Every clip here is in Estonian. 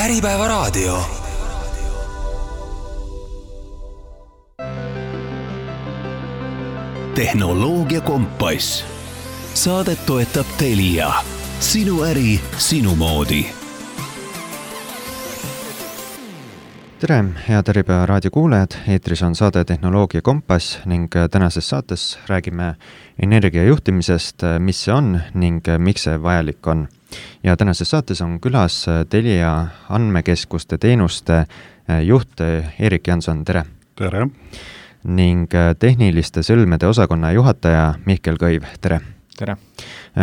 Äripäevaraadio. Tehnoloogia kompass. Saadet toetab Telia. Sinu äri, sinu moodi. Tere, head Äripäevaraadio kuulajad. Eetris on saade Tehnoloogia kompass ning tänases saates räägime energiajuhtimisest, mis see on ning miks see vajalik on. Ja tänases saates on külas Telia andmekeskuste teenuste juht Erik Janson. Tere! Tere! Ning tehniliste sõlmede osakonna juhataja Mihkel Kõiv. Tere! Tere!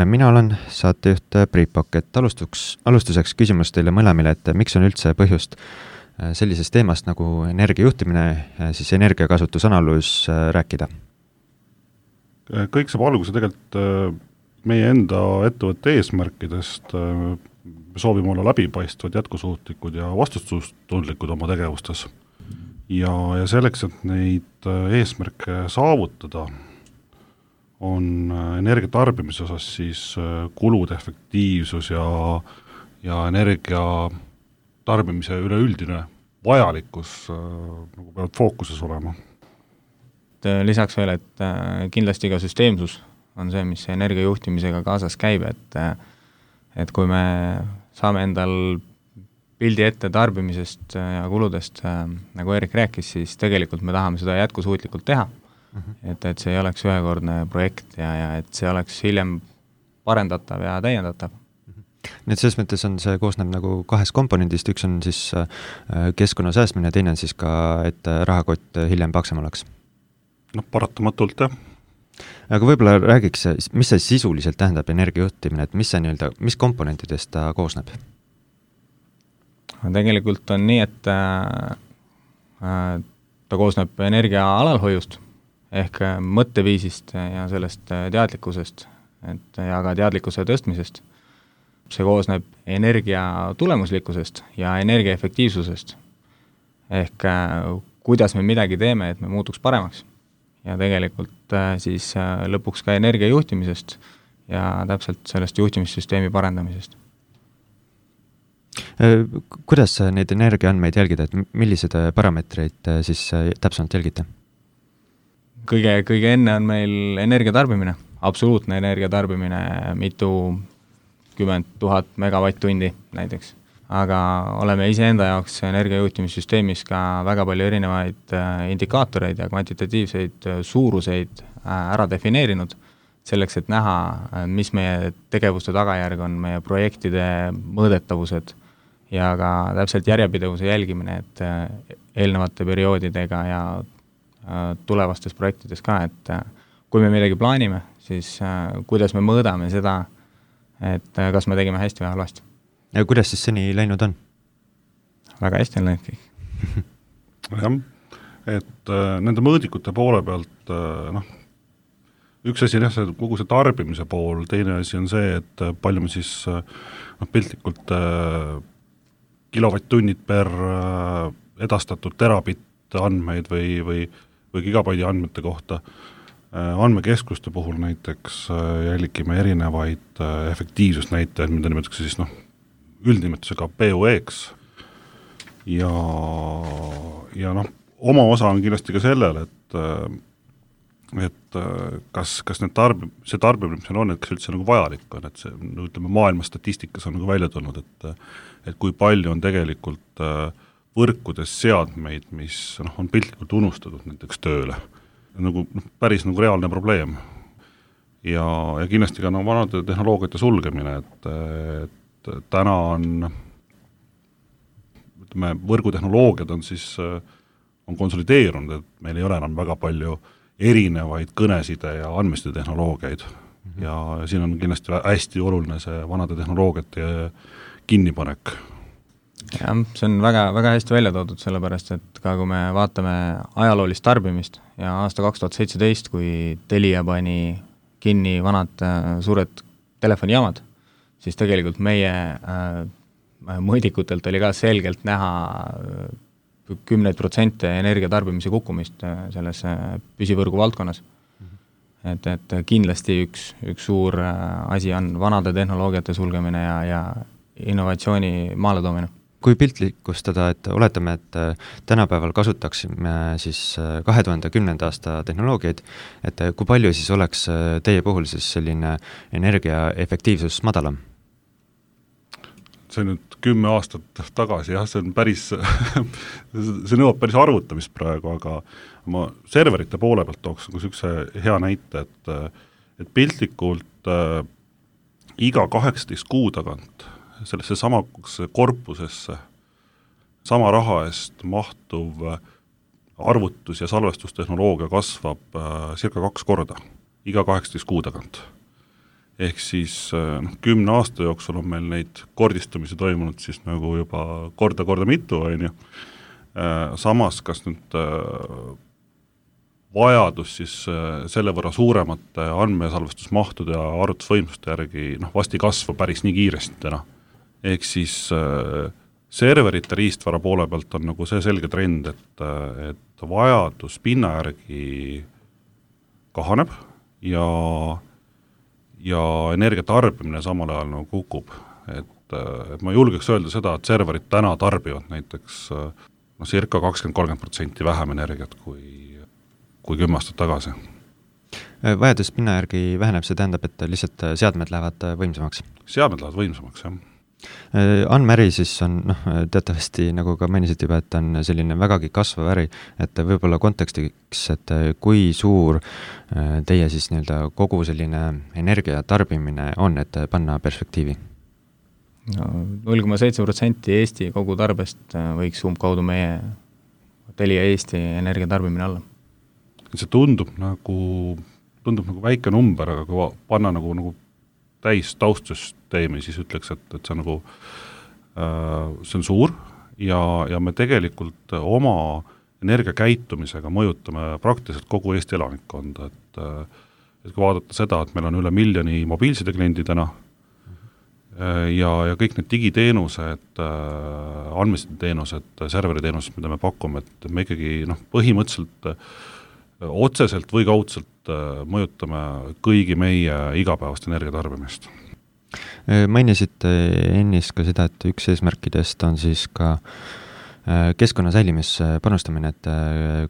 Mina olen saatejuht Priit Pokk. Alustuseks küsimus teile mõlemile, et miks on üldse põhjust sellisest teemast nagu energiajuhtimine, siis energiakasutusanalüüs rääkida? Kõik saab alguse tegelikult meie enda ettevõtte eesmärkidest. Me soovime olla läbipaistvad, jätkusuutlikud ja vastutustundlikud oma tegevustes. Ja selleks, et neid eesmärke saavutada, on energia tarbimise osas siis kulude efektiivsus ja energia tarbimise üleüldine vajalikkus nagu peavad fookuses olema. Lisaks veel, et kindlasti ka süsteemsus on see, mis energiajuhtimisega kaasas käib, et kui me saame endal pildi ette tarbimisest ja kuludest, nagu Erik rääkis, siis tegelikult me tahame seda jätkusuutlikult teha. Et see ei oleks ühekordne projekt ja et see oleks hiljem parendatav ja täiendatav. Nii et selles mõttes on see koosneb nagu kahest komponendist, üks on siis keskkonna säästmine, teine on siis ka, et rahakott hiljem paksem oleks. Paratamatult, jah. Aga võib-olla räägiks, mis see sisuliselt tähendab energiajuhtimine, et mis komponentidest ta koosneb? Tegelikult on nii, et ta koosneb energia alalhoiust ehk mõtteviisist ja sellest teadlikkusest ja ka teadlikkuse tõstmisest. See koosneb energia tulemuslikkusest ja energia efektiivsusest ehk kuidas me midagi teeme, et me muutuks paremaks. Ja tegelikult siis lõpuks ka energia juhtimisest ja täpselt sellest juhtimissüsteemi parendamisest. Kuidas neid energiaandmeid jälgida, et millised parameetreid siis täpsemalt jälgite? Kõige enne on meil energiatarbimine, absoluutne energiatarbimine, mitu 10 000 megavatt-tundi näiteks. Aga oleme iseenda jaoks energiajuhtimissüsteemis ka väga palju erinevaid indikaatoreid ja kvantitatiivseid suuruseid ära defineerinud, selleks, et näha, mis meie tegevuste tagajärg on, meie projektide mõõdetavused ja ka täpselt järjepidevuse jälgimine, et eelnevate perioodidega ja tulevastes projektides ka, et kui me midagi plaanime, siis kuidas me mõõdame seda, et kas me tegime hästi või halvasti. Ja kuidas siis seni läinud on? Väga hästi on läinud kõik. Jah, et nende mõõdikute poole pealt, üks asi on kogu see tarbimise pool, teine asi on see, et palju me siis piltlikult kilovatt-tunnid per edastatud terabitt andmeid või gigabaidi andmete kohta. Andmekeskuste puhul näiteks jälgime erinevaid efektiivsusnäitajaid, mida nimetatakse siis üldnimetusega POE-ks ja oma osa on kindlasti ka sellel, et kas see tarbimine, mis on, et kas üldse nagu vajalik on, et see maailma statistikas on nagu välja tulnud, et kui palju on tegelikult võrkudes seadmeid, mis on piltlikult unustatud näiteks tööle. Päris reaalne probleem. Ja kindlasti ka vanade tehnoloogiate sulgemine, et täna on võrgutehnoloogiad on konsolideerunud, et meil ei ole enam väga palju erinevaid kõneside ja andmeste tehnoloogiaid. Ja siin on kindlasti hästi oluline see vanade tehnoloogiate kinnipanek. Ja, see on väga, väga hästi välja toodud, sellepärast, et ka kui me vaatame ajaloolist tarbimist ja aasta 2017, kui Telia pani kinni vanad suured telefonijaamad, siis tegelikult meie mõõdikutelt oli ka selgelt näha 10% energiatarbimise kukkumist selles püsivõrgu valdkonnas. Et kindlasti üks suur asi on vanade tehnoloogiate sulgemine ja innovatsiooni maale toomine. kui piltlikustada, et oletame, et tänapäeval kasutaksime siis 2010. aasta tehnoloogiaid, et kui palju siis oleks teie puhul siis selline energiaefektiivsus madalam? See nüüd 10 aastat tagasi, jah, see on päris see nõuab päris arvutamist praegu, aga ma serverite poole pealt tooks niisuguse hea näite, et piltlikult iga 18 kuu tagant sellesse samasse korpusesse sama raha eest mahtuv arvutus- ja salvestustehnoloogia kasvab circa 2 korda iga 18 kuu tagant. Ehk siis 10 aasta jooksul on meil neid kordistumisi toimunud siis nagu juba korda mitu, on ju. Samas, kas nüüd vajadus siis selle võrra suuremate andmesalvestusmahtude ja arvutusvõimsuste järgi vasti kasvu päris nii kiiresti täna. Ehk siis serverite riistvara poole pealt on nagu see selge trend, et vajadus pinna järgi kahaneb ja energia tarbimine samal ajal nagu kukub. Et ma julgeks öelda seda, et serverid täna tarbivad näiteks circa 20-30% vähem energiat kui 10 aastat tagasi. Vajadus pinna järgi väheneb, see tähendab, et lihtsalt seadmed lähevad võimsamaks? Seadmed lähevad võimsamaks, jah. Andmeäri siis on, teatavasti nagu ka mainisid juba, et on selline vägagi kasvav äri, et võib-olla kontekstiks, et kui suur teie siis nii-öelda kogu selline energia tarbimine on, et panna perspektiivi? 0,7% Eesti kogu tarbest võiks umbkaudu meie Telia Eesti energia tarbimine alla. See tundub nagu väike number, aga kui panna nagu täis taustsüsteemi, siis ütleks, et see on nagu see on suur ja me tegelikult oma energiakäitumisega mõjutame praktiliselt kogu Eesti elanikkonda, et kui vaadata seda, et meil on üle 1 miljoni mobiilsideklendi täna ja kõik need digiteenused, andmesideteenused, serveriteenused, mida me pakume, et me ikkagi põhimõtteliselt otseselt või kaudselt mõjutame kõigi meie igapäevast energiatarbimist. Mainisite ennist ka seda, et üks eesmärkidest on siis ka keskkonna säilimisse panustamine, et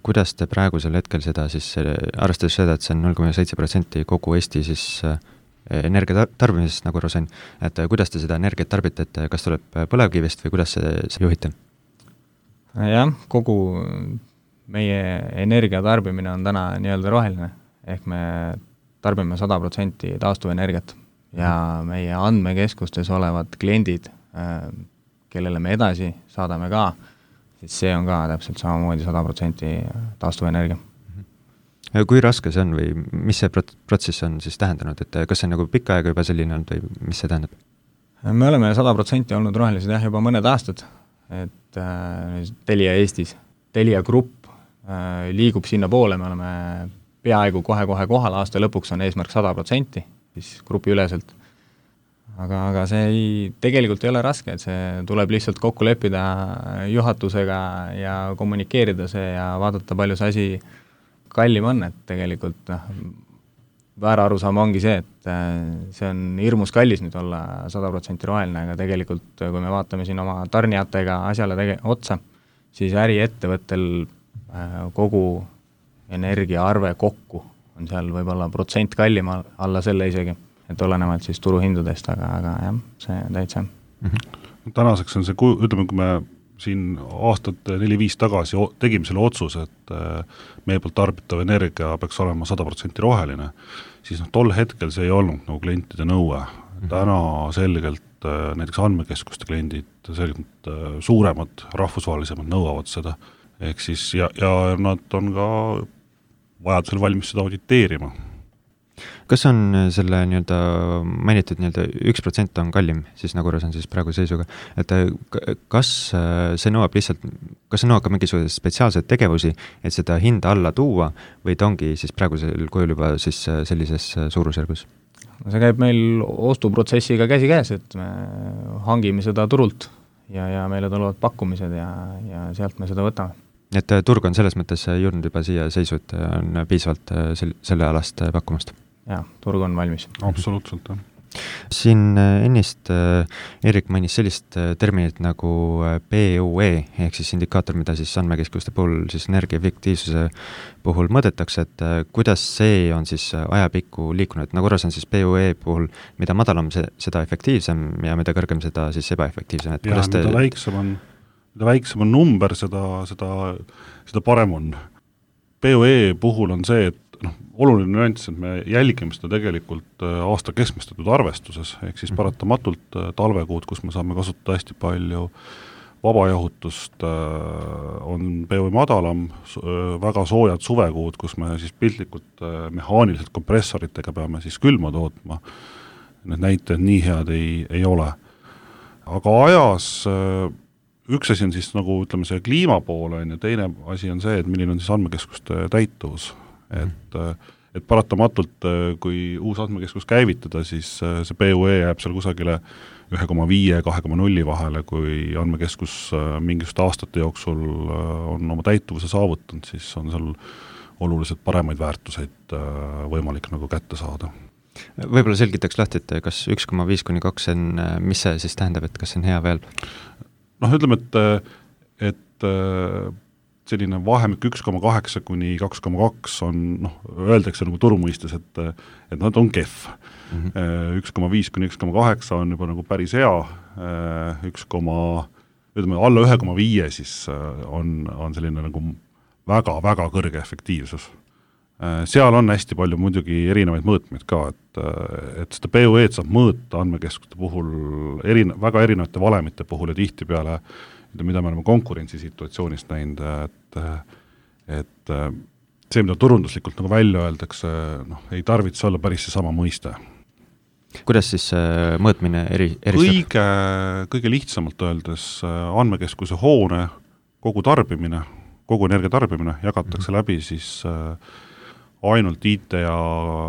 kuidas te praegusel hetkel seda siis, arvestades seda, et see on 0,7% kogu Eesti siis energia tarbimisest, nagu aru sain, et kuidas te seda energiat tarbite, et kas tuleb põlevkivist või kuidas see juhite? Jah, kogu meie energia tarbimine on täna nii-öelda roheline, ehk me tarbime 100% taastuvenergiat ja meie andmekeskustes olevad kliendid, kellele me edasi saadame ka, siis see on ka täpselt samamoodi 100% taastuvenergia. Kui raske see on või mis see protsess on siis tähendanud, et kas see on nagu pikka aega juba selline olnud või mis see tähendab? Me oleme 100% olnud rohelised juba mõned aastad, et Telia Eestis, Telia Grupp liigub sinna poole, me oleme peaaegu kohe kohal, aasta lõpuks on eesmärk 100%, siis grupi üleselt. Aga see tegelikult ei ole raske, et see tuleb lihtsalt kokku leppida juhatusega ja kommunikeerida see ja vaadata, palju see asi kallim on, et tegelikult väära arusaam ongi see, et see on hirmus kallis nüüd olla 100% roheline, aga tegelikult kui me vaatame siin oma tarnijatega asjale otsa, siis äriettevõttel kogu energiaarve kokku on seal võib-olla % kallim alla selle isegi, et olenevalt siis turuhindadest, aga jah, see täitsa. Tänaseks on see, ütleme, kui me siin aastat 4-5 tagasi tegime selle otsuse, et meie poolt tarbitav energia peaks olema 100% roheline, siis tol hetkel see ei olnud nagu klientide nõue. Täna selgelt näiteks andmekeskuste kliendid selgelt suuremad, rahvusvahelisemad nõuavad seda. Ehk siis, ja nad on ka vajadusel valmis seda auditeerima. Kas on selle nii-öelda mainitud nii-öelda 1% on kallim, siis nagu on siis praegu seisuga, et kas see nõuab ka mingisugune spetsiaalseid tegevusi, et seda hinda alla tuua või ta ongi siis praegusel kujul juba siis sellises suurusjärgus? See käib meil ostuprotsessiga käsi käes, et me hangime seda turult ja meile tulevad pakkumised ja sealt me seda võtame. Et turg on selles mõttes jõudnud juba siia seisu, et on piisavalt selle alast pakkumast? Jaa, turg on valmis. Absoluutselt, jah. Siin ennist Erik mainis sellist terminit nagu PUE ehk siis indikaator, mida siis andmekeskuste puhul siis energiaefektiivsuse puhul mõõdetakse, et kuidas see on siis ajapikku liikunud, nagu korras on siis PUE puhul, mida madalam seda efektiivsem ja mida kõrgem seda siis ebaefektiivsem, et kuidas mida väiksem on number, seda parem on. PUE puhul on see, et oluline nüanss, et me jälgime seda tegelikult aasta keskmistatud arvestuses, ehk siis paratamatult talvekuud, kus me saame kasutada hästi palju vabajahutust, on PUE madalam, väga soojad suvekuud, kus me siis piltlikult mehaaniliselt kompressoritega peame siis külma tootma, need näitajad nii head ei ole. Aga ajas üks asi on siis nagu ütleme see kliima poole ja teine asi on see, et milline on siis andmekeskuste täituvus. Et paratamatult, kui uus andmekeskus käivitada, siis see PUE jääb seal kusagile 1,5-2,0 vahele, kui andmekeskus mingisuguste aastate jooksul on oma täituvuse saavutanud, siis on seal oluliselt paremaid väärtuseid võimalik nagu kätte saada. Võib-olla selgitaks lahti, et kas 1,5-2 on, mis see siis tähendab, et kas see on hea veel? Ütleme, et selline vahemik 1,8 kuni 2,2 on, öeldakse nagu turumõistes, et nad on kehv. 1,5 kuni 1,8 on juba nagu päris hea, alla 1,5 siis on selline nagu väga-väga kõrge efektiivsus. Seal on hästi palju muidugi erinevaid mõõtmeid ka, et seda PUE-d saab mõõta andmekeskuste puhul väga erinevate valemite puhul ja tihtipeale, mida me oleme konkurentsisituatsioonist näinud, et see, mida turunduslikult nagu välja öeldakse, ei tarvitse olla päris see sama mõiste. Kuidas siis mõõtmine eristab? Kõige lihtsamalt öeldes andmekeskuse hoone kogu tarbimine, kogu energia tarbimine jagatakse läbi siis ainult IT ja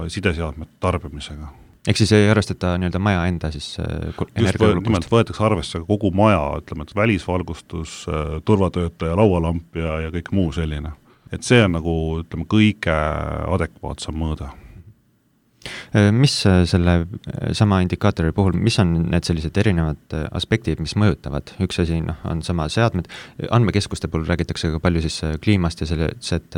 sideseadmete tarbimisega. Ehk siis ei arvestata nii-öelda maja enda siis nimelt võetakse arvesse kogu maja, ütleme, et välisvalgustus, turvatöötaja, laualamp ja kõik muu selline. Et see on nagu, ütleme, kõige adekvaatsem mõõde. Mis selle sama indikaatori puhul, mis on need sellised erinevad aspektid, mis mõjutavad? Üks asi on sama seadmed, andmekeskuste puhul räägitakse ka palju siis kliimast ja selles, et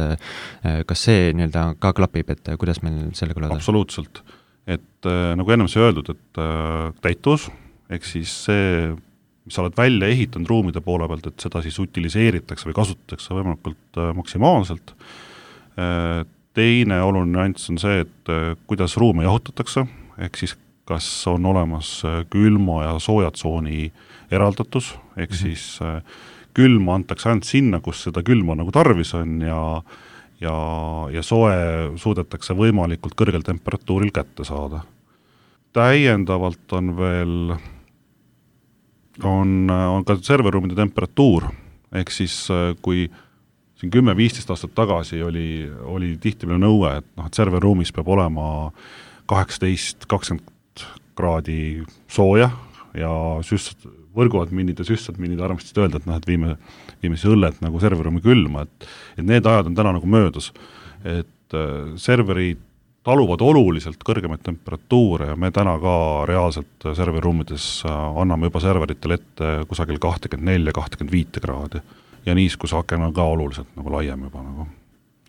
kas see nii-öelda ka klapib, et kuidas meil sellega lood on? Absoluutselt. Et nagu ennem see öeldud, et täituvus, ehk siis see, mis sa oled välja ehitanud ruumide poole pealt, et seda siis utiliseeritakse või kasutatakse võimalikult maksimaalselt. Teine oluline nüanss on see, et kuidas ruume jahutatakse, ehk siis kas on olemas külma ja soojatsooni eraldatus, ehk siis külma antakse ainult sinna, kus seda külma nagu tarvis on ja soe suudetakse võimalikult kõrgel temperatuuril kätte saada. Täiendavalt on veel on ka serverruumide temperatuur, ehk siis kui siin 10-15 aastat tagasi oli tihtipeale nõue, et serverruumis peab olema 18-20 kraadi sooja ja võrguadminid ja süstadminid armastasid öelda, et viime siis õllet nagu serverruumi külma, et need ajad on täna nagu möödas, et serverid taluvad oluliselt kõrgemaid temperatuure ja me täna ka reaalselt serverruumides anname juba serveritele ette kusagil 24-25 kraadi ja niiskus aken on ka oluliselt nagu laiem juba nagu.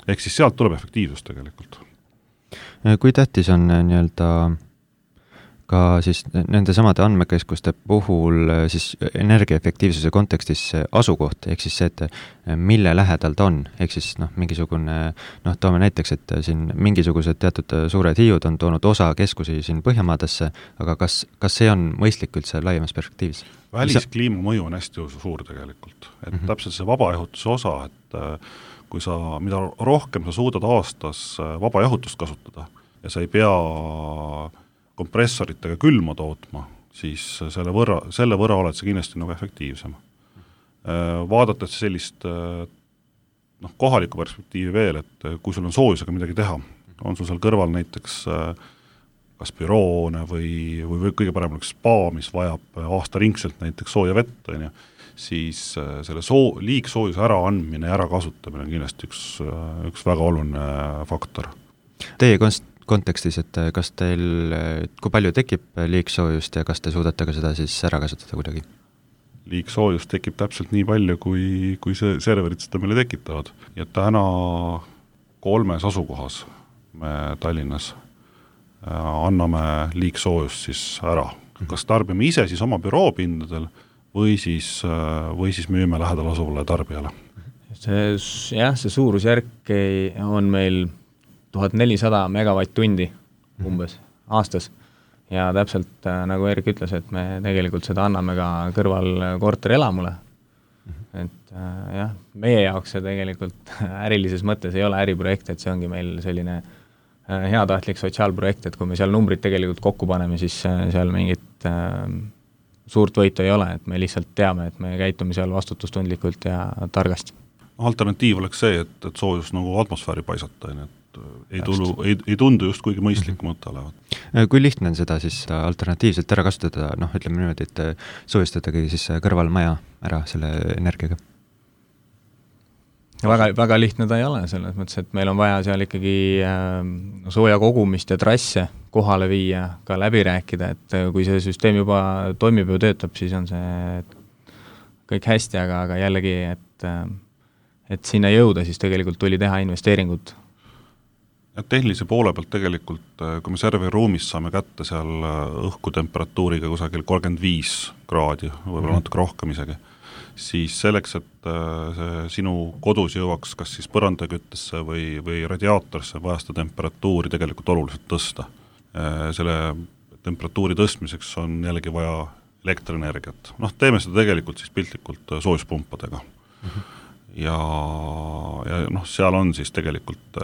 Ehk siis sealt tuleb efektiivsus tegelikult. Kui tähtis on nii-öelda ka siis nende samade andmekeskuste puhul siis energiaefektiivsuse kontekstis asukoht, ehk siis see, et mille lähedal ta on, ehk siis mingisugune, toome näiteks, et siin mingisugused teatud suured hiiud on toonud osa keskusi siin Põhjamaadesse, aga kas see on mõistlik üldse laiemas perspektiivis? Väliskliima mõju on hästi suur tegelikult, et täpselt see vabajahutuse osa, et kui mida rohkem sa suudad aastas vabajahutust kasutada ja sa ei pea kompressoritega külma tootma, siis selle võrra oled see kindlasti nagu efektiivsem. Vaadates sellist kohalikku perspektiivi veel, et kui sul on soojusega midagi teha, on sul seal kõrval näiteks kas büroone või kõige parem oleks spa, mis vajab aastaringselt näiteks sooja vett, siis selle liigsoojuse äraandmine ja ärakasutamine on kindlasti üks väga oluline faktor. Teie kontekstis, et kas teil, kui palju tekib liigsoojust ja kas te suudate ka seda siis ära kasutada kuidagi? Liigsoojust tekib täpselt nii palju, kui see serverid seda meile tekitavad. Ja täna 3 asukohas me Tallinnas anname liigsoojust siis ära. Kas tarbime ise siis oma büroopindadel või siis müüme lähedal asuvale tarbijale? See suurusjärk on meil 1400 megavatt-tundi umbes aastas ja täpselt nagu Erik ütles, et me tegelikult seda anname ka kõrval korterelamule. Et jah, meie jaoks see tegelikult ärilises mõttes ei ole äriprojekt, et see ongi meil selline heatahtlik sotsiaalprojekt, et kui me seal numbrid tegelikult kokku paneme, siis seal mingit suurt võitu ei ole, et me lihtsalt teame, et me käitume seal vastutustundlikult ja targasti. Alternatiiv oleks see, et soojus nagu atmosfääri paisata, et ei tundu just kuigi mõistlik mõte olevat. Kui lihtne on seda siis alternatiivselt ära kasutada, ütleme niimoodi, et soojustadagi siis kõrvalmaja ära selle energiaga? Väga lihtne ta ei ole, selles mõttes, et meil on vaja seal ikkagi sooja kogumist ja trasse kohale viia, ka läbi rääkida, et kui see süsteem juba toimib ja töötab, siis on see kõik hästi, aga jällegi, et sinna jõuda, siis tegelikult tuli teha investeeringud. Tehnilise poole pealt tegelikult, kui me serveriruumis saame kätte seal õhkutemperatuuriga kusagil 35 kraadi, võib-olla natuke rohkem isegi, siis selleks, et see sinu kodus jõuaks kas siis põrandaküttesse või radiaatorisse, vaja seda temperatuuri tegelikult oluliselt tõsta. Selle temperatuuri tõstmiseks on jällegi vaja elektrienergiat. Teeme seda tegelikult siis piltlikult soojuspumpadega. Ja seal on siis tegelikult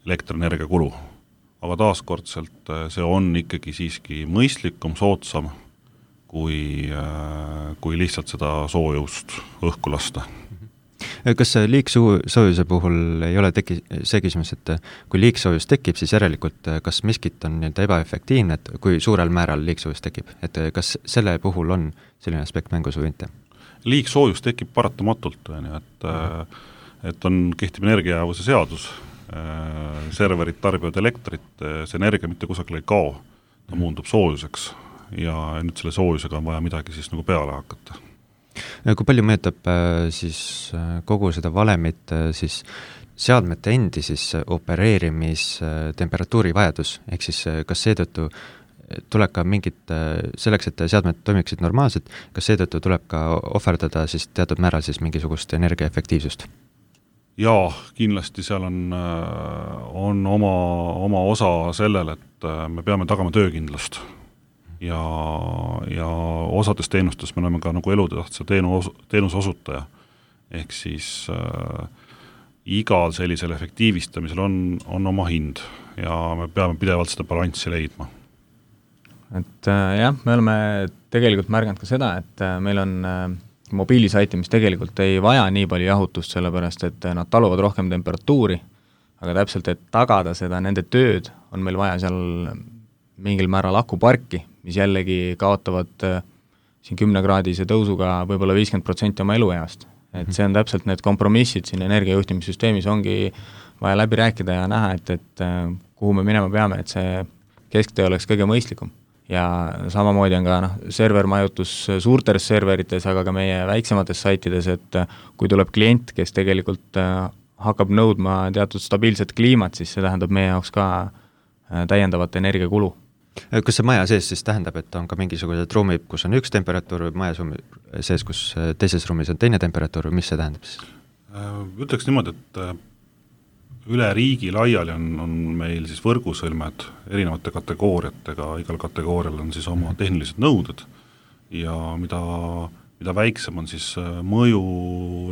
elektrienergia kulu. Aga taaskordselt see on ikkagi siiski mõistlikum, soodsam, kui lihtsalt seda soojust õhku lasta. Kas liigsoojuse puhul ei ole see küsimus, et kui liigsoojus tekib, siis järelikult kas miskit on ebaefektiivne, et kui suurel määral liigsoojus tekib, et kas selle puhul on selline aspekt mängus või mitte? Liigsoojus tekib paratamatult, et kehtib energiajäävuse seadus, serverid tarbivad elektrit, see energia mitte kusagil ei kao, ta muundub soojuseks ja nüüd selle soojusega on vaja midagi siis nagu peale hakata. Kui palju mõjutab siis kogu seda valemit siis seadmete endi siis opereerimistemperatuuri vajadus, ehk siis kas seetõttu tuleb ka mingit, selleks, et seadmed toimiksid normaalselt, kas seetõttu tuleb ka ohverdada siis teatud määral siis mingisugust energiaefektiivsust? Jaa, kindlasti seal on oma osa sellel, et me peame tagama töökindlust ja osades teenustes me oleme ka nagu elutähtsa teenuse osutaja. Ehk siis igal sellisel efektiivistamisel on oma hind ja me peame pidevalt seda balanssi leidma. Et jah, me oleme tegelikult märganud ka seda, et meil on mobiilisaiti, mis tegelikult ei vaja nii palju jahutust, sellepärast et nad taluvad rohkem temperatuuri, aga täpselt, et tagada seda nende tööd, on meil vaja seal mingil määral akuparki, mis jällegi kaotavad siin 10-kraadise tõusuga võib-olla 50% oma elueast. Et see on täpselt need kompromissid siin energiajuhtimissüsteemis ongi vaja läbi rääkida ja näha, et kuhu me minema peame, et see kesktee oleks kõige mõistlikum. Ja samamoodi on ka servermajutus suurtes serverites, aga ka meie väiksemates saitides, et kui tuleb klient, kes tegelikult hakkab nõudma teatud stabiilset kliimat, siis see tähendab meie jaoks ka täiendavat energiakulu. Kas see maja sees siis tähendab, et on ka mingisugused ruumid, kus on üks temperatuur või maja sees, kus teises ruumis on teine temperatuur või mis see tähendab siis? Ütleks niimoodi, et üle riigi laiali on meil siis võrgusõlmed erinevate kategooriatega, igal kategoorial on siis oma tehnilised nõuded ja mida väiksem on siis mõju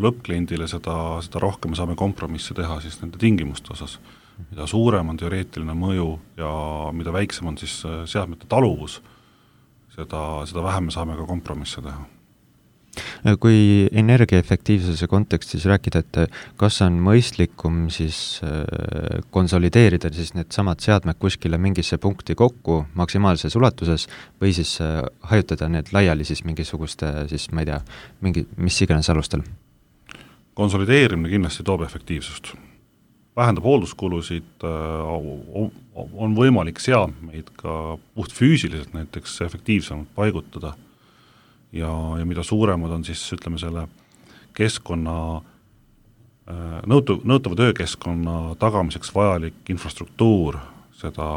lõppkliendile, seda rohkem saame kompromisse teha siis nende tingimuste osas. Mida suurem on teoreetiline mõju ja mida väiksem on siis seadmete taluvus, seda vähem me saame ka kompromisse teha. Kui energiaefektiivsuse kontekstis rääkida, et kas on mõistlikum siis konsolideerida siis need samad seadmed kuskile mingisse punkti kokku maksimaalses ulatuses või siis hajutada need laiali siis mingisuguste siis, ma ei tea, mis iganes alustel? Konsolideerimine kindlasti toob efektiivsust. vähendab hoolduskulusid, on võimalik seadmeid ka puht füüsiliselt näiteks efektiivsemalt paigutada ja mida suuremad on siis ütleme selle keskkonna nõutava töökeskkonna tagamiseks vajalik infrastruktuur, seda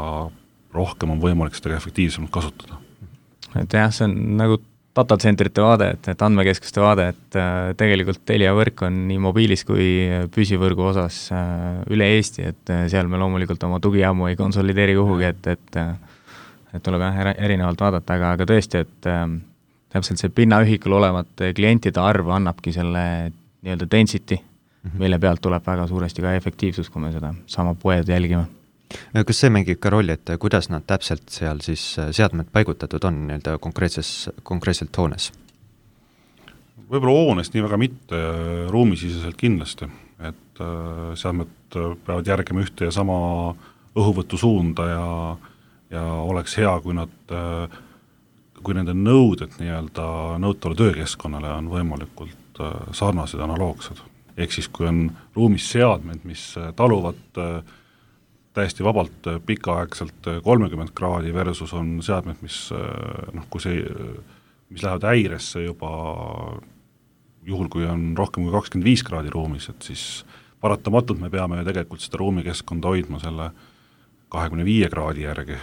rohkem on võimalik seda efektiivsemalt kasutada. Et jah, see on nagu datacentterite vaade, et andmekeskuste vaade, et tegelikult Telia võrk on nii mobiilis kui püsivõrgu osas üle Eesti, et seal me loomulikult oma tugijaamu ei konsolideeri kuhugi, et tuleb erinevalt vaadata, aga tõesti, et täpselt see pinnaühikul olevat klientide arv annabki selle nii-öelda density, mille pealt tuleb väga suuresti ka efektiivsus, kui me seda sama poed jälgime. Kas see mängib ka rolli, et kuidas nad täpselt seal siis seadmed paigutatud on nii-öelda konkreetselt hoones? Võib-olla hoones nii väga mitte, ruumisiseselt kindlasti, et seadmed peavad järgima ühte ja sama õhuvõtu suunda ja oleks hea, kui nende nõuded nii-öelda nõutavale töökeskkonnale on võimalikult sarnased analoogsed. Ehk siis, kui on ruumis seadmed, mis taluvad täiesti vabalt pikaaegselt 30 kraadi versus on seadmed, mis lähevad häiresse juba juhul, kui on rohkem kui 25 kraadi ruumis, et siis paratamatult me peame tegelikult seda ruumikeskkonda hoidma selle 25 kraadi järgi.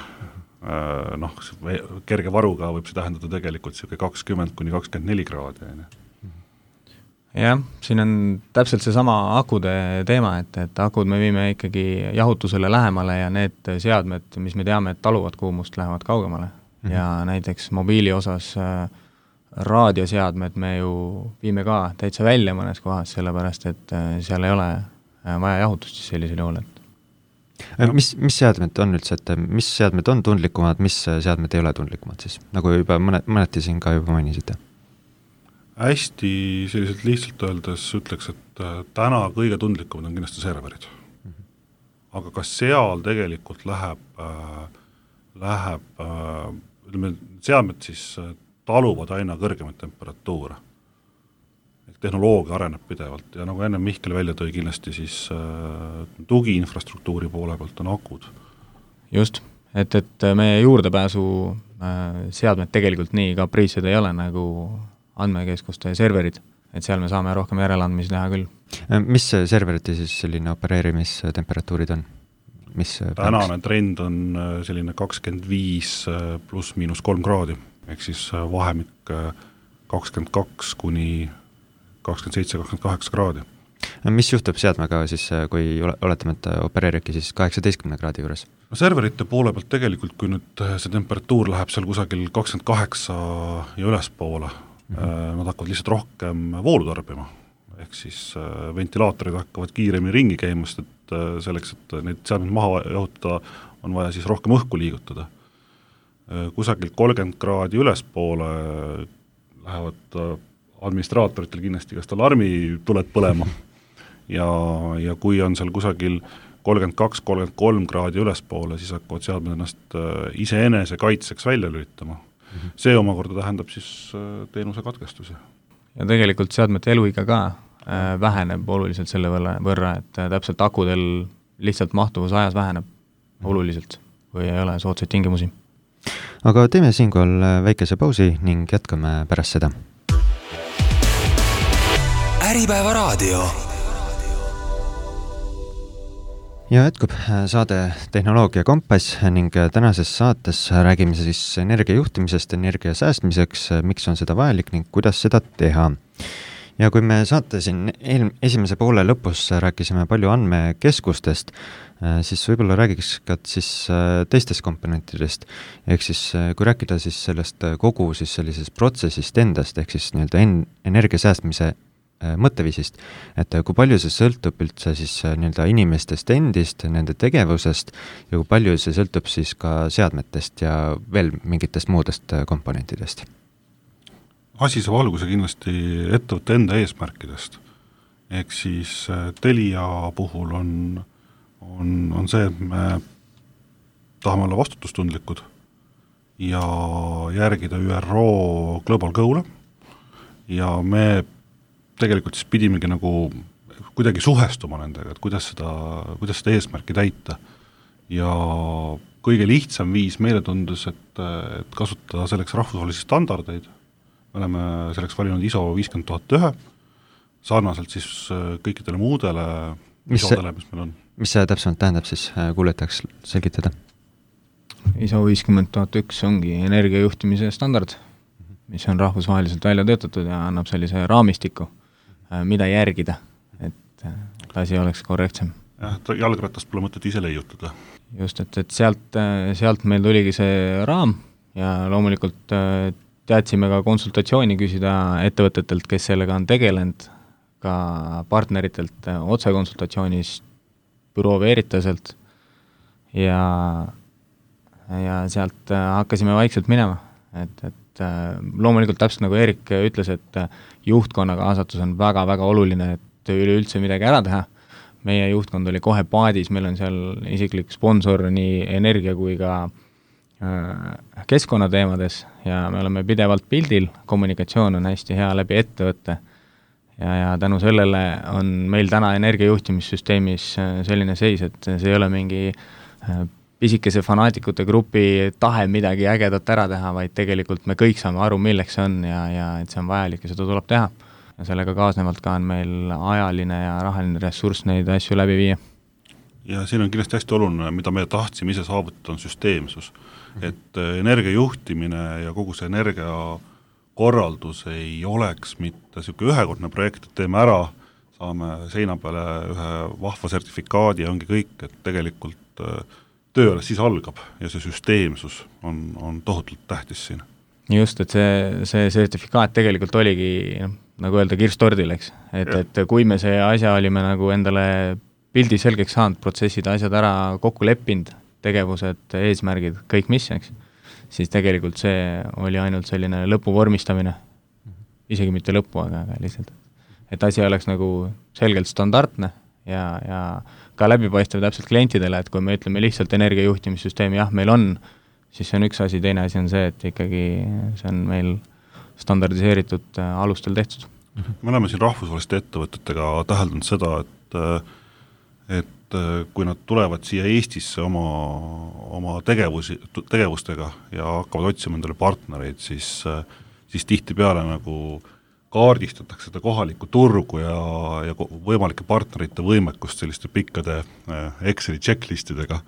Kerge varuga võib see tähendada tegelikult 20–24 kraadi. Jah, siin on täpselt see sama akude teema, et akud me viime ikkagi jahutusele lähemale ja need seadmed, mis me teame, et taluvad kuumust, lähevad kaugemale. Ja näiteks mobiili osas raadioseadmed me ju viime ka täitsa välja mõnes kohas, sellepärast et seal ei ole vaja jahutust sellisel juhul. Mis seadmed on üldse, et mis seadmed on tundlikumad, mis seadmed ei ole tundlikumad siis? Nagu juba mõneti siin ka juba mainisite. Hästi selliselt lihtsalt öeldes ütleks, et täna kõige tundlikumad on kindlasti serverid. Aga kas seal tegelikult läheb seadmed siis taluvad aina kõrgemaid temperatuure. Tehnoloogia areneb pidevalt ja nagu enne Mihkel välja tõi kindlasti siis tugiinfrastruktuuri poole pealt on akud. Just, et meie juurdepääsu seadmed tegelikult nii kapriitsed ei ole nagu andmekeskuste serverid, et seal me saame rohkem järeleandmisi teha küll. Mis serverite siis selline opereerimistemperatuurid on? Tänane trend on selline 25 pluss miinus 3 kraadi, ehk siis vahemik 22 kuni 27-28 kraadi. Mis juhtub seadmega siis, kui oletame, et opereeribki siis 18 kraadi juures? Serverite poole pealt tegelikult, kui nüüd see temperatuur läheb seal kusagil 28 ja ülespoole, nad hakkavad lihtsalt rohkem voolu tarbima, ehk siis ventilaatorid hakkavad kiiremini ringi käimast, et selleks, et neid seadmeid maha jahutada, on vaja siis rohkem õhku liigutada. Kusagil 30 kraadi ülespoole lähevad administraatoritel kindlasti kas alarmi tuled põlema ja kui on seal kusagil 32-33 kraadi ülespoole, siis hakkavad seadmed ennast iseenese kaitseks välja lülitama. See omakorda tähendab siis teenuse katkestusi. Ja tegelikult seadmete eluiga ka väheneb oluliselt selle võrra, et täpselt akudel lihtsalt mahtuvus ajas väheneb oluliselt, kui ei ole soodsaid tingimusi. Aga teeme siinkohal väikese pausi ning jätkame pärast seda. Äripäeva raadio. Ja jätkub saade Tehnoloogia Kompass ning tänases saates räägime siis energiajuhtimisest, energia säästmiseks, miks on seda vajalik ning kuidas seda teha. Ja kui me saate siin esimese poole lõpus rääkisime palju andmekeskustest, siis võib-olla räägiks ka siis teistest komponentidest. Ehk siis kui rääkida siis sellest kogu siis sellisest protsessist endast, ehk siis nii-öelda energia säästmise mõtteviisist, et kui palju see sõltub üldse siis nii-öelda inimestest endist, nende tegevusest ja kui palju see sõltub siis ka seadmetest ja veel mingitest muudest komponentidest? Asi saab alguse kindlasti ettevõtte enda eesmärkidest. Ehk siis Telia puhul on see, et me tahame olla vastutustundlikud ja järgida ÜRO Global Goal'e ja me tegelikult siis pidimegi nagu kuidagi suhestuma nendega, et kuidas seda eesmärki täita. Ja kõige lihtsam viis meile tundus, et kasutada selleks rahvusvahelisi standardeid. Me oleme selleks valinud ISO 50001, sarnaselt siis kõikidele muudele ISO-dele, mis meil on. Mis see täpsemalt tähendab siis, kuuletaks selgitada? ISO 50001 ongi energiajuhtimise standard, mis on rahvusvaheliselt välja töötatud ja annab sellise raamistiku, mida järgida, et asi oleks korrektsem. Jah, jalgratast pole mõtet ise leiutada. Just, et sealt meil tuligi see raam ja loomulikult teadsime ka konsultatsiooni küsida ettevõtetelt, kes sellega on tegelenud, ka partneritelt otsekonsultatsioonis büroo Veritaselt ja sealt hakkasime vaikselt minema, et loomulikult täpselt nagu Erik ütles, et juhtkonna kaasatus on väga-väga oluline, et üleüldse midagi ära teha. Meie juhtkond oli kohe paadis, meil on seal isiklik sponsor nii energia kui ka keskkonnateemades ja me oleme pidevalt pildil, kommunikatsioon on hästi hea läbi ettevõtte ja tänu sellele on meil täna energiajuhtimissüsteemis selline seis, et see ei ole mingi pisikese fanaatikute grupi tahe midagi ägedat ära teha, vaid tegelikult me kõik saame aru, milleks see on ja et see on vajalik ja seda tuleb teha. Ja sellega kaasnevalt ka on meil ajaline ja rahaline ressurss neid asju läbi viia. Ja siin on kindlasti hästi oluline, mida me tahtsime ise saavutada, on süsteemsus. Et energiajuhtimine ja kogu see energiakorraldus ei oleks mitte selline ühekordne projekt, et teeme ära, saame seina peale ühe vahva sertifikaadi ja ongi kõik, et tegelikult töö alles siis algab ja see süsteemsus on tohutult tähtis siin. Just, et see sertifikaat tegelikult oligi, nagu öelda, kirstordil, eks. Et kui me see asja olime nagu endale pildi selgeks saanud, protsessid, asjad ära kokku leppinud, tegevused, eesmärgid, kõik mis, eks, siis tegelikult see oli ainult selline lõpu vormistamine. Isegi mitte lõpu, aga lihtsalt. Et asi oleks nagu selgelt standardne ja ka läbipaistev täpselt klientidele, et kui me ütleme lihtsalt energiajuhtimissüsteemi, jah, meil on, siis see on üks asi, teine asi on see, et ikkagi see on meil standardiseeritud alustel tehtud. Me oleme siin rahvusvaheliste ettevõtetega täheldanud seda, et kui nad tulevad siia Eestisse oma tegevustega ja hakkavad otsima endale partnereid, siis tihtipeale nagu kaardistatakse seda kohalikku turgu ja võimalike partnerite võimekust selliste pikkade Exceli checklistidega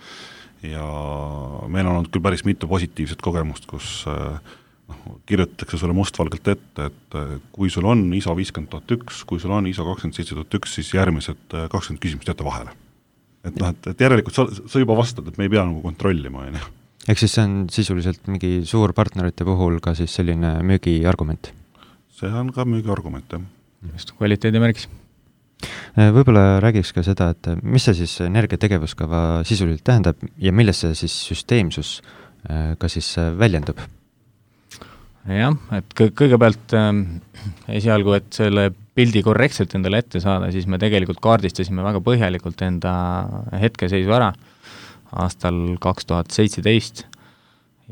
ja meil on olnud küll päris mitu positiivset kogemust, kus kirjutatakse sulle mustvalgelt ette, et kui sul on ISO 50001, kui sul on ISO 27001, siis järgmised 20 küsimust jätta vahele. Et järelikult sa juba vastad, et me ei pea nagu kontrollima. Ehk siis see on sisuliselt mingi suur partnerite puhul ka siis selline müügiargument? See on ka müügiargument, jah. Just kvaliteedimärgis. Võib-olla räägiks ka seda, et mis see siis energiategevuskava sisuliselt tähendab ja milles see siis süsteemsus ka siis väljendub? Jah, et kõigepealt esialgu, et selle pildi korrektselt endale ette saada, siis me tegelikult kaardistasime väga põhjalikult enda hetkeseisu ära aastal 2017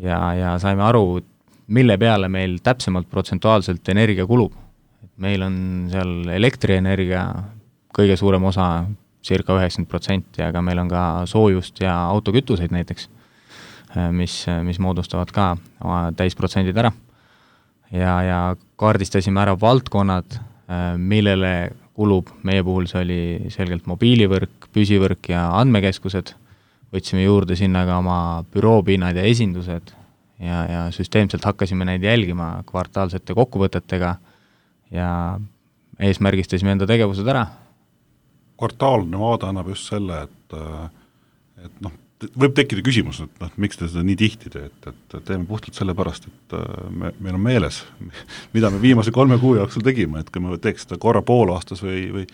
ja saime aru, mille peale meil täpsemalt protsentuaalselt energia kulub. Meil on seal elektrienergia kõige suurem osa, circa 90%, aga meil on ka soojust ja autokütuseid näiteks, mis moodustavad ka täisprotsendid ära. Ja kaardistasime ära valdkonnad, millele kulub, meie puhul see oli selgelt mobiilivõrk, püsivõrk ja andmekeskused, võtsime juurde sinna ka oma büroopinnad ja esindused ja süsteemselt hakkasime neid jälgima kvartaalsete kokkuvõtetega ja eesmärgistasime enda tegevused ära. Kvartaalne vaade annab just selle, et võib tekkida küsimus, et miks te seda nii tihti teete, et teeme puhtalt selle pärast, et meil on meeles, mida me viimase 3 kuu jooksul tegime, et kui me teeks seda korra poolaastas või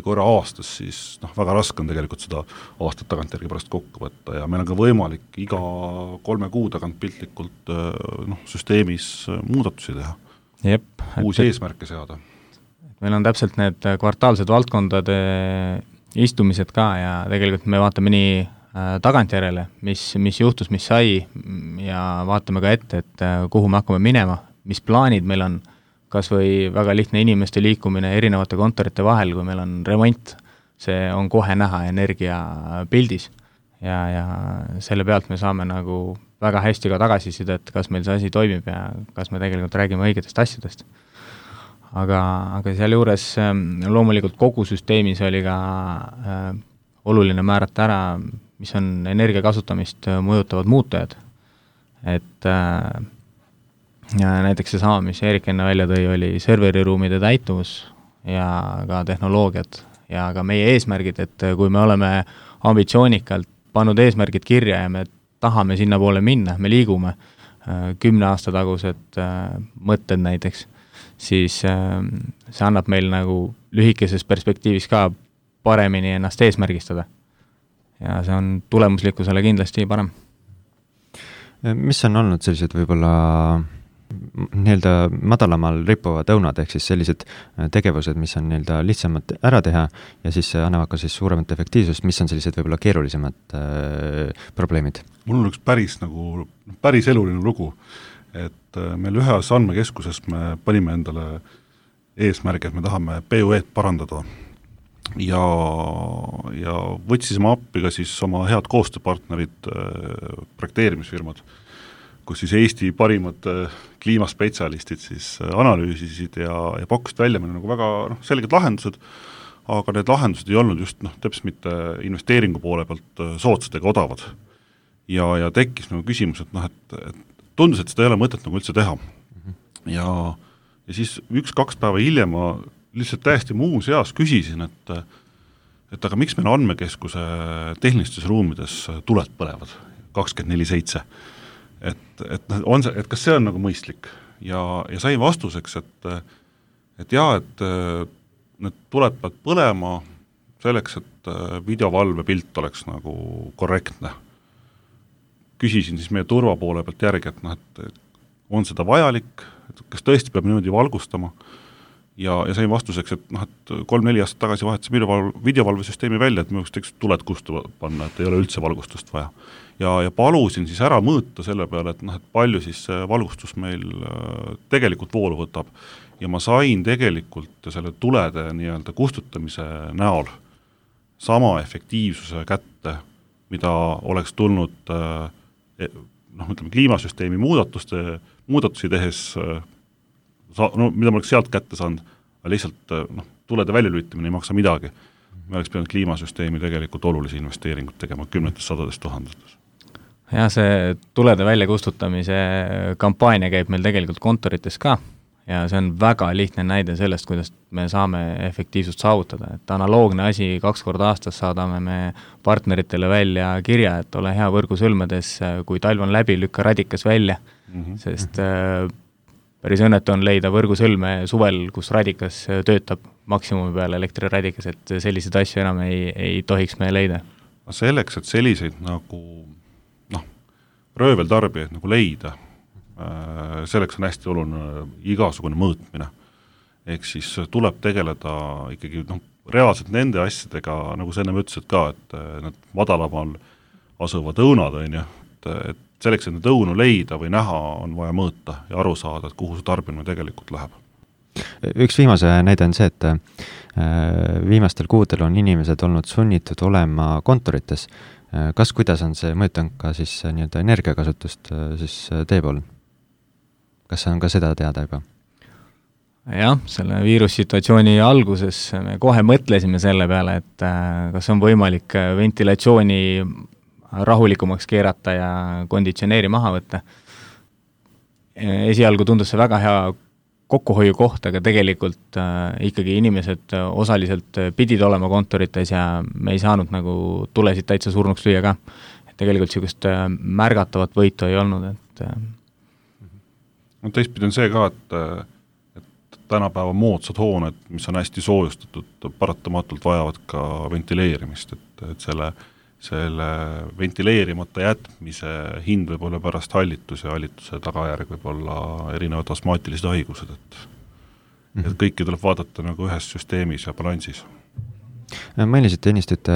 korra aastas, siis väga raske on tegelikult seda aastat tagantjärgi pärast kokku võtta ja meil on ka võimalik iga 3 kuu tagant piltlikult süsteemis muudatusi teha. Jep, uusi eesmärke seada. Meil on täpselt need kvartaalsed valdkondade istumised ka ja tegelikult me vaatame nii tagantjärele, mis juhtus, mis sai ja vaatame ka ette, et kuhu me hakkame minema, mis plaanid meil on, kas või väga lihtne inimeste liikumine erinevate kontorite vahel, kui meil on remont, see on kohe näha energiapildis ja selle pealt me saame nagu väga hästi ka tagasisidet, kas meil see asi toimib ja kas me tegelikult räägime õigetest asjadest. Aga seal juures loomulikult kogu süsteemis oli ka oluline määrata ära, mis on energia kasutamist mõjutavad muutujad. Et näiteks seesama, mis Erik enne välja tõi, oli serveriruumide täituvus ja ka tehnoloogiad ja ka meie eesmärgid, et kui me oleme ambitsioonikalt pannud eesmärgid kirja ja me tahame sinna poole minna, me liigume 10 aasta tagused mõtted näiteks, siis see annab meil nagu lühikeses perspektiivis ka paremini ennast eesmärgistada. Ja see on tulemuslikkusele kindlasti parem. Mis on olnud sellised võib-olla nii-öelda madalamal rippuvad õunad, ehk siis sellised tegevused, mis on nii-öelda lihtsamad ära teha ja siis annavad ka siis suuremat efektiivsust, mis on sellised võib-olla keerulisemad probleemid? Mul on üks päris eluline lugu, et meil ühes andmekeskuses me panime endale eesmärgi, et me tahame PUE-d parandada ja võtsisime appi ka siis oma head koostööpartnerid, projekteerimisfirmad, kus siis Eesti parimad kliimaspetsialistid siis analüüsisid ja pakkusid välja meil nagu väga selged lahendused, aga need lahendused ei olnud just täpselt mitte investeeringu poole pealt soodsad ega odavad. Ja tekkis nagu küsimus, et tundus, et seda ei ole mõtet nagu üldse teha. Ja siis 1-2 päeva hiljem ma lihtsalt täiesti muus eas küsisin, et aga miks meil andmekeskuse tehnilistes ruumides tuled põlevad 24/7? Et kas see on nagu mõistlik? Ja sai vastuseks, et need tuled peavad põlema selleks, et videovalvepilt oleks nagu korrektne. Küsisin siis meie turva poole pealt järgi, et on seda vajalik, et kas tõesti peab niimoodi valgustama, ja sain vastuseks, et 3-4 aastat tagasi vahetasime videovalvesüsteemi välja, et me võiks tuled kustu panna, et ei ole üldse valgustust vaja. Ja palusin siis ära mõõta selle peale, et palju siis valgustus meil tegelikult voolu võtab. Ja ma sain tegelikult selle tulede nii-öelda kustutamise näol sama efektiivsuse kätte, mida oleks tulnud kliimasüsteemi muudatusi tehes, mida ma oleks sealt kätte saanud, aga lihtsalt tulede väljalülitamine ei maksa midagi. Me oleks pidanud kliimasüsteemi tegelikult olulisi investeeringut tegema 10,000. Ja see tulede väljakustutamise kampaania käib meil tegelikult kontorites ka ja see on väga lihtne näide sellest, kuidas me saame efektiivsust saavutada. Et analoogne asi 2 korda aastas saadame me partneritele välja kirja, et ole hea võrgusõlmedes, kui talv on läbi, lükka radikas välja, sest päris õnnetu on leida võrgusõlme suvel, kus radikas töötab maksimumi peale elektriradikas, et selliseid asju enam ei tohiks me leida. Selleks, et selliseid nagu rööveltarbijaid nagu leida, selleks on hästi oluline igasugune mõõtmine. Ehk siis tuleb tegeleda ikkagi reaalselt nende asjadega, nagu sa enne ütlesid ka, et need madalamal asuvad õunad, et selleks, et need õunu leida või näha, on vaja mõõta ja aru saada, et kuhu see tarbimine tegelikult läheb. Üks viimase näide on see, et viimastel kuudel on inimesed olnud sunnitud olema kontorites. Kas kuidas on see mõjutanud ka siis nii-öelda energiakasutust siis teie pool? Kas on ka seda teada juba? Jah, selle viirussituatsiooni alguses me kohe mõtlesime selle peale, et kas on võimalik ventilatsiooni rahulikumaks keerata ja konditsioneeri maha võtta. Esialgu tundus see väga hea kokkuhoiu koht, aga tegelikult ikkagi inimesed osaliselt pidid olema kontorites ja me ei saanud nagu tulesid täitsa surnuks lüüa ka. Et tegelikult sellist märgatavat võitu ei olnud. Teistpidi on see ka, et tänapäeva moodsad hooned, mis on hästi soojustatud, paratamatult vajavad ka ventileerimist, et selle ventileerimata jätmise hind võib olla pärast hallitus ja hallituse tagajärg võib olla erinevad astmaatilised haigused, et kõiki tuleb vaadata nagu ühes süsteemis ja balansis. Mainisite ennist, et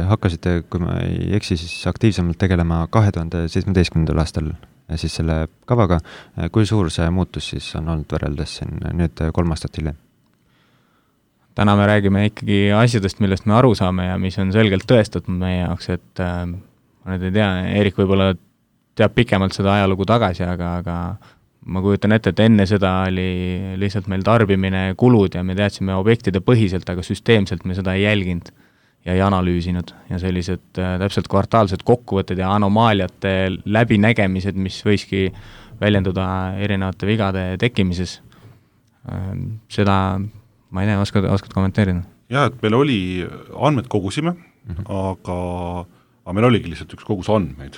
hakkasite, kui ma ei eksi, siis aktiivsemalt tegelema 2017. aastal siis selle kavaga. Kui suur see muutus siis on olnud võrreldes siin nüüd 3 aastat hiljem? Täna me räägime ikkagi asjadest, millest me aru saame ja mis on selgelt tõestatud meie jaoks, et ma nüüd ei tea, Erik võib-olla teab pikemalt seda ajalugu tagasi, aga ma kujutan ette, et enne seda oli lihtsalt meil tarbimine, kulud ja me teadsime objektide põhiselt, aga süsteemselt me seda ei jälginud ja ei analüüsinud ja sellised täpselt kvartaalsed kokkuvõtted ja anomaaliate läbinägemised, mis võiski väljenduda erinevate vigade tekkimises. Seda ma ei tea, oskad kommenteerida? Jah, et meil oli, andmed kogusime, aga meil oligi lihtsalt üks kogus andmeid,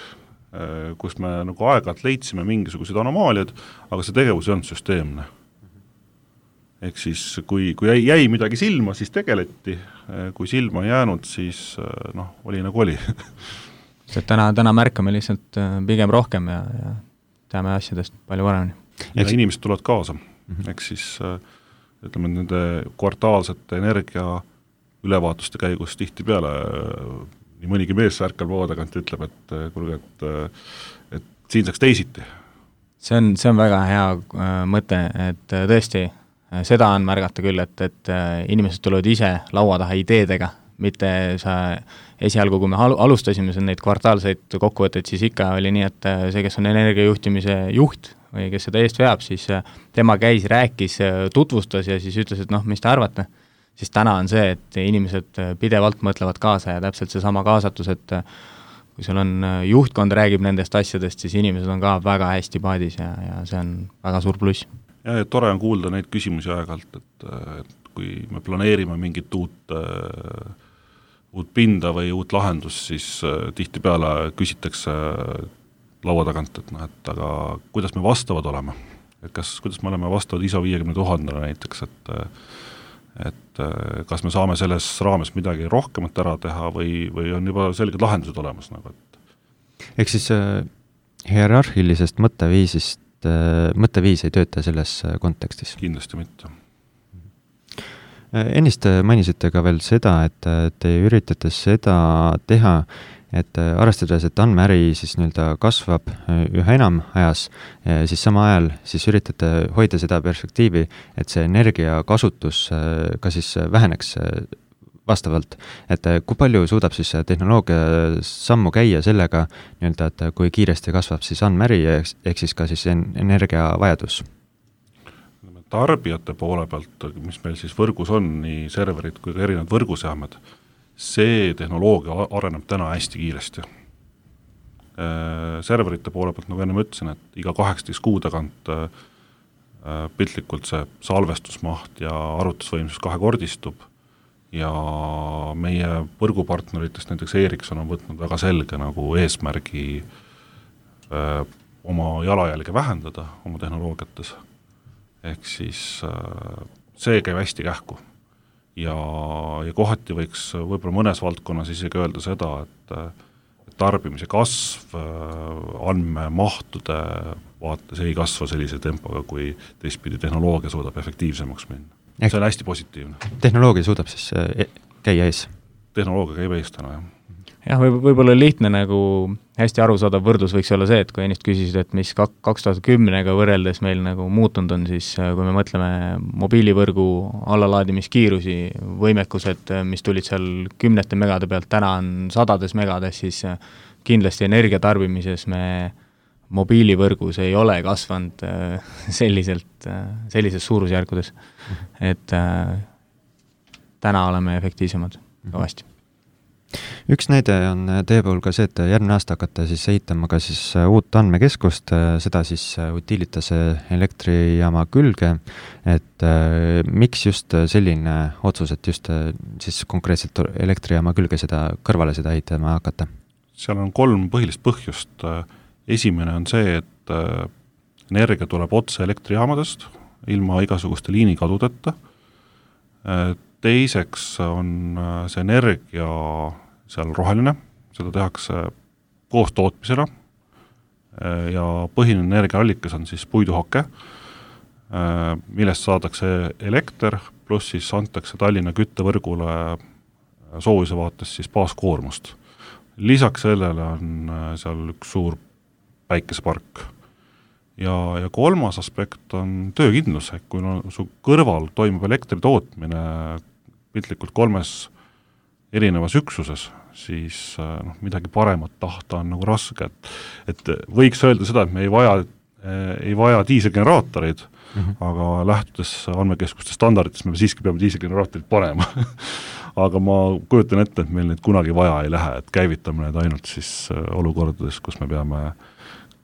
kus me nagu aeg-ajalt leidsime mingisugused anomaaliad, aga see tegevus ei olnud süsteemne. Ehk siis, kui jäi midagi silma, siis tegeleti, kui silma ei jäänud, siis oli nagu oli. Täna märkame lihtsalt pigem rohkem ja teame asjadest palju paremini. Ja inimesed tulevad kaasa, ehk siis ütleme, nende kvartaalsete energia ülevaatuste käigus tihti peale nii mõnigi mees ärkal vaadagant ütleb, et siin saaks teisiti. See on väga hea mõte, et tõesti seda on märgata küll, et inimesed tulevad ise laua taha ideedega, mitte sa esialgu, kui me alustasime neid kvartaalseid kokkuvõtteid, siis ikka oli nii, et see, kes on energiajuhtimise juht või kes seda eest veab, siis tema käis, rääkis, tutvustas ja siis ütles, et mis te arvate? Siis täna on see, et inimesed pidevalt mõtlevad kaasa ja täpselt see sama kaasatus, et kui sul on juhtkond räägib nendest asjadest, siis inimesed on ka väga hästi paadis ja see on väga suur pluss. Ja tore on kuulda neid küsimusi aeg-ajalt, et kui me planeerime mingit uut pinda või uut lahendust, siis tihtipeale küsitakse laua tagant, et aga kuidas me vastavad oleme? Et kuidas me oleme vastavad ISO 50 000 näiteks, et kas me saame selles raames midagi rohkemat ära teha või on juba selged lahendused olemas? Ehk siis hierarhilisest mõtteviis ei tööta selles kontekstis? Kindlasti mitte. Ennist mainisite ka veel seda, et te üritate seda teha, et arvestades, et andmeäri siis kasvab üha enam ajas, siis sama ajal siis üritate hoida seda perspektiivi, et see energiakasutus ka siis väheneks vastavalt, et kui palju suudab siis tehnoloogia sammu käia sellega, et kui kiiresti kasvab siis andmeäri ehk siis ka siis energiavajadus? Tarbijate poole pealt, mis meil siis võrgus on, nii serverid kui ka erinevad võrguseamed, see tehnoloogia areneb täna hästi kiiresti. Serverite poole pealt, nagu enne ütlesin, et iga 18 kuu tagant piltlikult see salvestusmaht ja arvutusvõimsus kahekordistub ja meie võrgupartneritest näiteks Ericsson on võtnud väga selge nagu eesmärgi oma jalajälge vähendada oma tehnoloogiates. Ehk siis see käib hästi kähku. Ja kohati võiks võib-olla mõnes valdkonnas isegi öelda seda, et tarbimise kasv andmemahtude vaates ei kasva sellise tempoga, kui teistpidi tehnoloogia suudab efektiivsemaks minna. See on hästi positiivne. Tehnoloogia suudab siis käia ees? Tehnoloogia käib ees täna, jah. Jah, võib-olla lihtne nagu hästi arusaadav võrdlus võiks olla see, et kui ennist küsisid, et mis 2010-ga võrreldes meil nagu muutunud on, siis kui me mõtleme mobiilivõrgu allalaadimiskiirusi, võimekused, mis tulid seal 10 megade pealt, täna on 100 megades, siis kindlasti energiatarbimises me mobiilivõrgus ei ole kasvanud sellises suurusjärkudes, et täna oleme efektiivsemad kõvasti. Üks näide on teie puhul ka see, et järgmine aasta hakkate siis ehitama ka siis uut andmekeskust, seda siis Utilitase elektrijaama külge, et miks just selline otsus, et just siis konkreetselt elektrijaama külge kõrvale seda ehitama hakata? Seal on 3 põhilist põhjust. Esimene on see, et energia tuleb otse elektrijaamadest, ilma igasuguste liinikadudeta. Teiseks on see energia seal roheline, seda tehakse koos tootmisena ja põhiline energiaallikas on siis puiduhake, millest saadakse elekter, pluss siis antakse Tallinna küttevõrgule soojuse vaates siis baaskoormust. Lisaks sellele on seal üks suur päikesepark. Ja kolmas aspekt on töökindlus, kui su kõrval toimub elektri tootmine piltlikult 3 erinevas üksuses, siis midagi paremat tahta on nagu raske, et võiks öelda seda, et me ei vaja diiselgeneraatoreid, aga lähtudes andmekeskuste standarditest me siiski peame diiselgeneraatorid panema. Aga ma kujutan ette, et meil neid kunagi vaja ei lähe, et käivitame need ainult siis olukordades, kus me peame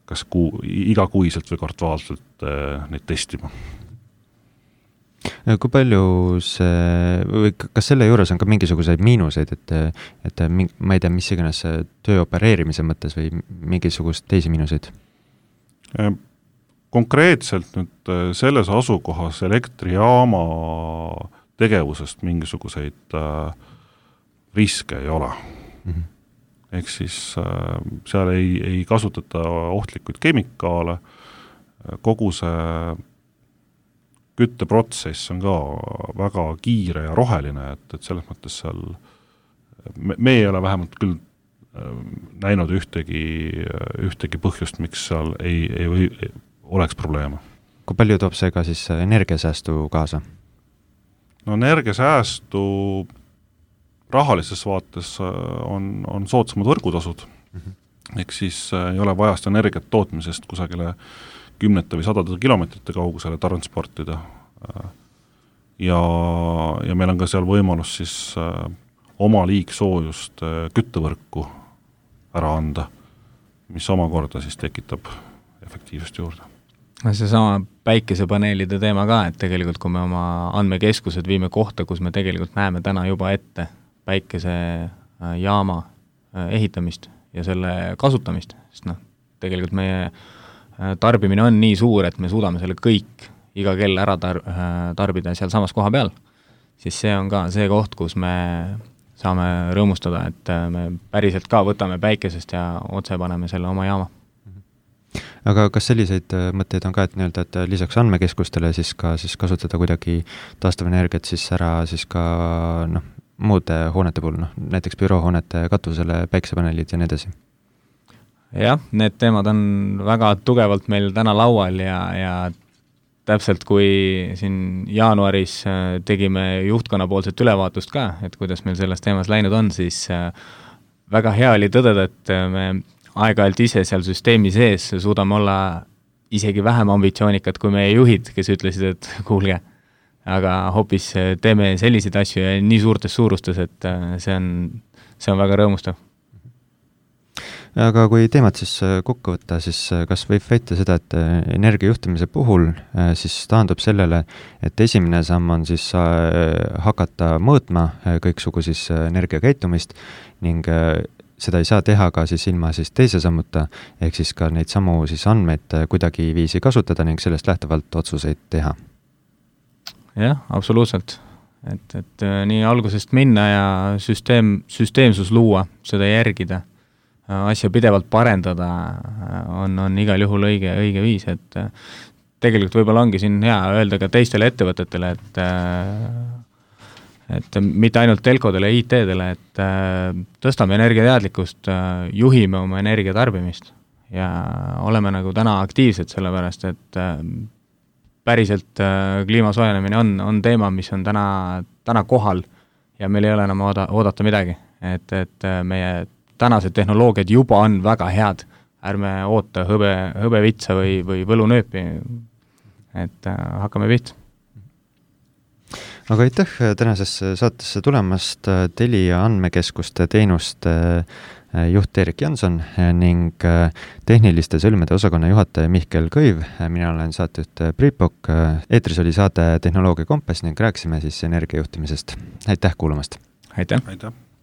kas igakuiselt või kvartaalselt neid testima. Kui palju või kas selle juures on ka mingisuguseid miinuseid, et ma ei tea, mis iganes töö opereerimise mõttes või mingisugust teisi miinuseid? Konkreetselt nüüd selles asukohas elektrijaama tegevusest mingisuguseid riske ei ole. Ehk siis seal ei kasutata ohtlikuid kemikaale, kogu see kütteprotsess on ka väga kiire ja roheline, et selles mõttes seal me ei ole vähemalt küll näinud ühtegi põhjust, miks seal ei oleks probleeme. Kui palju toob see ka siis energiasäästu kaasa? No energiasäästu rahalises vaates on soodsamad võrgutasud, ehk siis ei ole vaja seda energiat tootmisest kusagile 10 või 100 kilomeetrite kaugusele transportida. Ja meil on ka seal võimalus siis oma liigsoojust küttevõrku ära anda, mis omakorda siis tekitab efektiivsust juurde. See sama päikesepaneelide teema ka, et tegelikult kui me oma andmekeskused viime kohta, kus me tegelikult näeme täna juba ette päikesejaama ehitamist ja selle kasutamist, sest tegelikult meie tarbimine on nii suur, et me suudame selle kõik iga kell ära tarbida seal samas koha peal, siis see on ka see koht, kus me saame rõõmustada, et me päriselt ka võtame päikesest ja otse paneme selle oma jaama. Aga kas selliseid mõtteid on ka, et lisaks andmekeskustele siis kasutada kuidagi taastuvenergiat siis ära siis ka muude hoonete puhul, näiteks büroohoonete katusele päikesepaneelid ja nii edasi? Jah, need teemad on väga tugevalt meil täna laual ja täpselt kui siin jaanuaris tegime juhtkonna poolset ülevaatust ka, et kuidas meil selles teemas läinud on, siis väga hea oli tõdeda, et me aeg-ajalt ise seal süsteemi sees suudame olla isegi vähem ambitsioonikad kui meie juhid, kes ütlesid, et kuulge, aga hoopis teeme selliseid asju ja nii suurtes suurustes, et see on väga rõõmustav. Aga kui teemat siis kokku võtta, siis kas võib väita seda, et energiajuhtimise puhul siis taandub sellele, et esimene samm on siis hakata mõõtma kõiksugu siis energiakäitumist ning seda ei saa teha ka siis ilma siis teise sammuta, ehk siis ka neid samu siis andmeid kuidagi viisi kasutada ning sellest lähtuvalt otsuseid teha. Jah, absoluutselt. Et nii algusest minna ja süsteemsus luua, seda järgida, asja pidevalt parendada on igal juhul õige viis, et tegelikult võib-olla ongi siin hea öelda ka teistele ettevõtetele, et mitte ainult telkodele ja IT-dele, et tõstame energiateadlikkust, juhime oma energiatarbimist ja oleme nagu täna aktiivsed sellepärast, et päriselt kliima soojenemine on teema, mis on täna kohal ja meil ei ole enam oodata midagi, et meie tänased tehnoloogiad juba on väga head, ärme oota hõbevitsa või võlunööpi, et hakkame pihta. Aga aitäh tänasesse saatesse tulemast Telia andmekeskuste teenuste juht Erik Janson ning tehniliste sõlmede osakonna juhataja Mihkel Kõiv. Mina olen saatejuht Priit Pokk. Eetris oli saade Tehnoloogia Kompass ning rääkisime siis energiajuhtimisest. Aitäh kuulamast! Aitäh! Aitäh!